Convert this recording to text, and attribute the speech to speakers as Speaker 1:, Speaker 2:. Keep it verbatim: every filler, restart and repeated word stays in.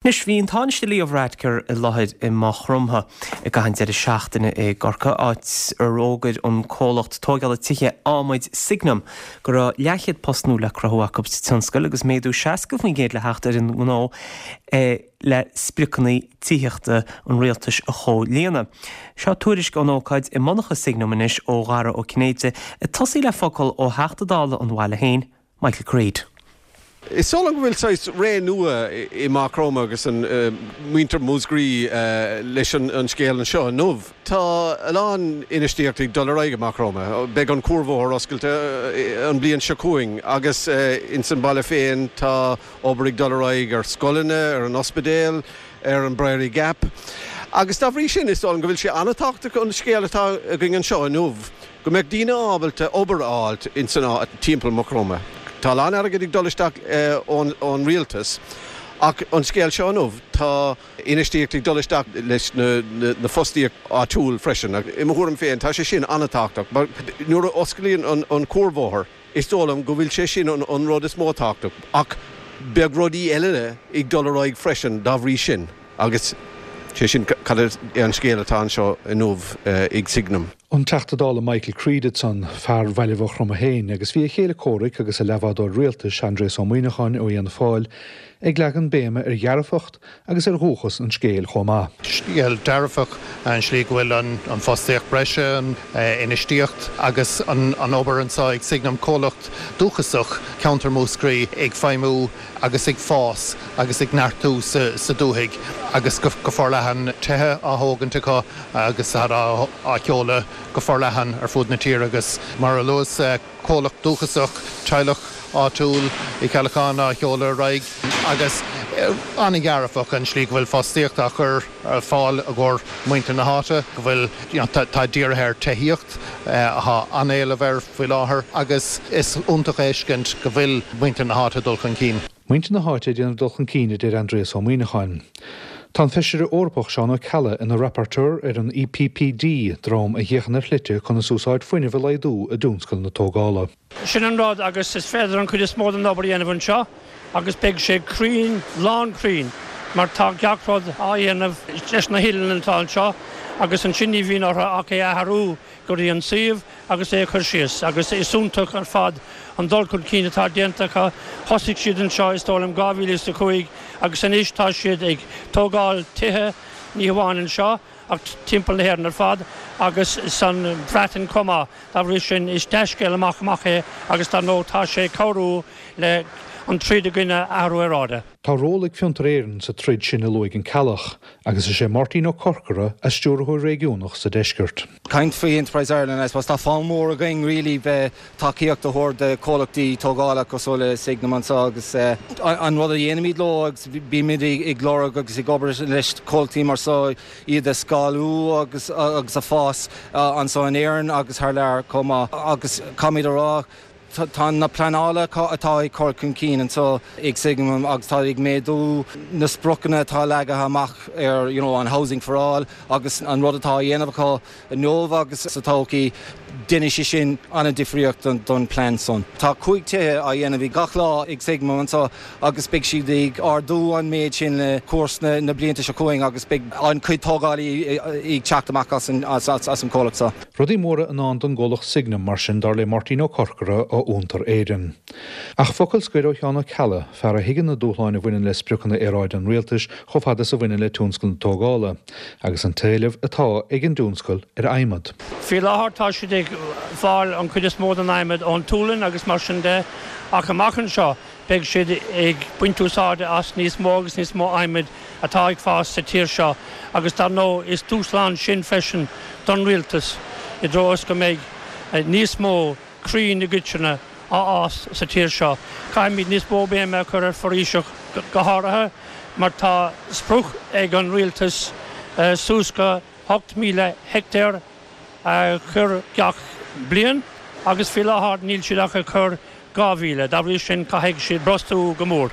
Speaker 1: Anois bhí an Tánaiste Leo Varadkar i láthair i Maigh Chromtha i gcaitheamh an deireadh seachtaine i gCorcaigh áit ar fhógair an comhlacht tógála tithe adhmaid Signum go raibh leathchéad post nua le cruthú acu sa tionscal agus méadú seasca faoin gcéad le theacht ar an ngnó le spriocanna tithíochta an rialtais a chomhlíonadh. Seo tuairisc ón ócáid i monarcha Signum anois ó Dhara Ó Cinnéide ag tosaí le focal ó Theachta Dála an bhaile féin, Michael Creed.
Speaker 2: Is dóigh liom go bhfuil saghas ré nua i Maigh Chromtha agus an muintir Mhúscraí leis an scéal anseo inniu. Tá a lán infheistíocht ag dul ar aghaidh i Maigh Chromtha. Beidh an cuarbhóthar oscailte an bliain seo chugainn agus ins an baile féin tá obair ag dul ar aghaidh ar scoileanna, ar an ospidéal, ar an Briery Gap. Agus dá bhrí sin is dóigh liom go bhfuil sé an-tábhachtach an scéal atá againn anseo inniu, go mbeadh daoine ábalta obair a fháilt ins an timpeall Maigh Chromtha. Tá lán airgead ag dul isteach ón ón rialtas ach an scéal seo inniu tá infheistíocht ag dul isteach leis na na fostaíocht áitiúil freisin. I mo thuairim féin tá sé sin an-tábhachtach, mar nuair a osclaíonn an an cuarbhóthar is dóigh liom go bhfuil sé sin an an rud is mó tábhachtach ach beidh rudaí eile ag dul ar aghaidh freisin dá bhrí sin agus sé sin cad é an scéal atá anseo inniu ag Signum.
Speaker 3: An Teachta Dála Michael Creed ansan fear Bhaile Mhaigh Chromtha féin agus bhí a chéile comhraic agus a leathbhádóir rialtais Aindrias Ó Muimhneacháin ó Fhianna Fáil ag leagan béime ar dhearfacht agus ar dhúchas an scéil chomh maith.
Speaker 4: Scéal dearfach an slí go bhfuil an, an fostaíocht breise, an infheistíocht agus an, an obair anseo ag Signum comhlacht dúchasach ceantar Mhúscraí ag feidhmiú agus ag fás agus ag neartú sa, sa dúthaigh agus go, go forleathan tithe á thógaint acu agus á, á sheoladh go forleathan ar fud na tíre agus mar a luas comhlacht dúchasach teaghlach áitiúil i Ceallacháin á sheoladh ar aghaidh agus an-dhearfach an slí go bhfuil fostaíocht á chur ar fáil i gcomhair muintir na háite, go bhfuil tá dírithe ar tithíocht atá an-éileamh air faoi láthair agus is iontach a fheiscint go bhfuil muintir na háite dul chun cinn.
Speaker 3: Muintir na háite déanamh dul chun cinn a deir Aindrias Ó Muimhneacháin. Tá an feisire Eorpach Seán Ó Ceallaigh ina rapporteur ar an EPPD dream a fhéachann ar shlite conas úsáid fuinnimh a laghdú i dtionscal na tógála.
Speaker 5: Sin an rud agus is féidir an chuid is mó den obair a dhéanamh anseo agus beidh sé cruinn lán cruinn mar tá gach rud á dhéanamh leis na huillinneacha atá anseo agus ansin ní bhíonn orthu ach é athrú go dtí an suíomh agus é chur síos agus is iontach ar fad an dul chun cinn atá déanta acu thosaigh siad anseo is dóigh liom dhá mhíle is a cúig agus anois tá siad ag tógáil tithe ní hamháin anseo ach timpeall na hÉireann ar fad agus san Bhreatain chomh maith dá bhrí sin is dea-scéal amach amach é agus dar ndóigh tá sé cabhrú le an troid i gcoinne athrú aeráide.
Speaker 3: Tá ról ag Fiontar Éireann sa troid sin a luaigh an Ceallach, agus is é Máirtín Ó Corcora a stiúrthóir réigiúnach sa deisceart.
Speaker 6: Caint faoi Enterprise Ireland I suppose tá fonn mór againn really bheith tacaíocht a thabhairt do chomhlachtaí tógála cosúil le Signum anseo agus uh, an rud a dhéanaimid leo agus bímid ag lorg agus ag obair leis comhlachtaí mar seo iad a scálú agus agus a fás uh, anseo in Éirinn agus thar lear chomh maith agus caithfimid a rá tá na pleanála atá ag cur chun cinn anseo ag Signum agus tá ag méadú na spriocanna atá leagtha amach ar you know, an housing for all agus an rud atá dhéanamh acu inniu agus sa todhchaí déanfaidh sé sin an-difríocht don, don plean san. Tá cúig tithe á dhéanamh i gach lá ag Signum anseo agus beidh siad ag ardú an méid sin le cúrsa na, na blianta seo chugainn agus beidh an chuid tógálaí ag teacht amach as an, as, as, as an comhlacht seo.
Speaker 3: Rudaí móra i ndán don gcomhlacht Signum mar sin dar le Máirtín Ó Corcora ó Fhiontar Éireann. Ach focal scoir ó Sheán Ó Ceallaigh, fear a thuigeann na dúshláin a bhaineann le spriocanna aeráide an rialtais chomh fada is a bhaineann le tionscal na tógála, agus an t-éileamh atá ag an dtionscal ar adhmad.
Speaker 5: Faoi láthair tá siad ag fáil an chuid is mó den adhmad ón tSualainn agus mar sin de ach amach anseo beidh siad ag baint úsáide as níos mó agus níos mó adhmaid atá ag fás sa tír seo agus dar ndóigh is dúshlán sin freisin don rialtas i dtreo go mbeidh níos mó crainn i gcoitinne á fhás sa tír seo. Caithfimid níos mó béime a chur ar foraoiseacht go háirithe mar tá sprioc ag an rialtas suas go hocht míle heicteár a chur gach bliain agus faoi láthair níl siad ach ag cur dhá mhíle, dá bhrí sin caithfidh siad brostú go mór.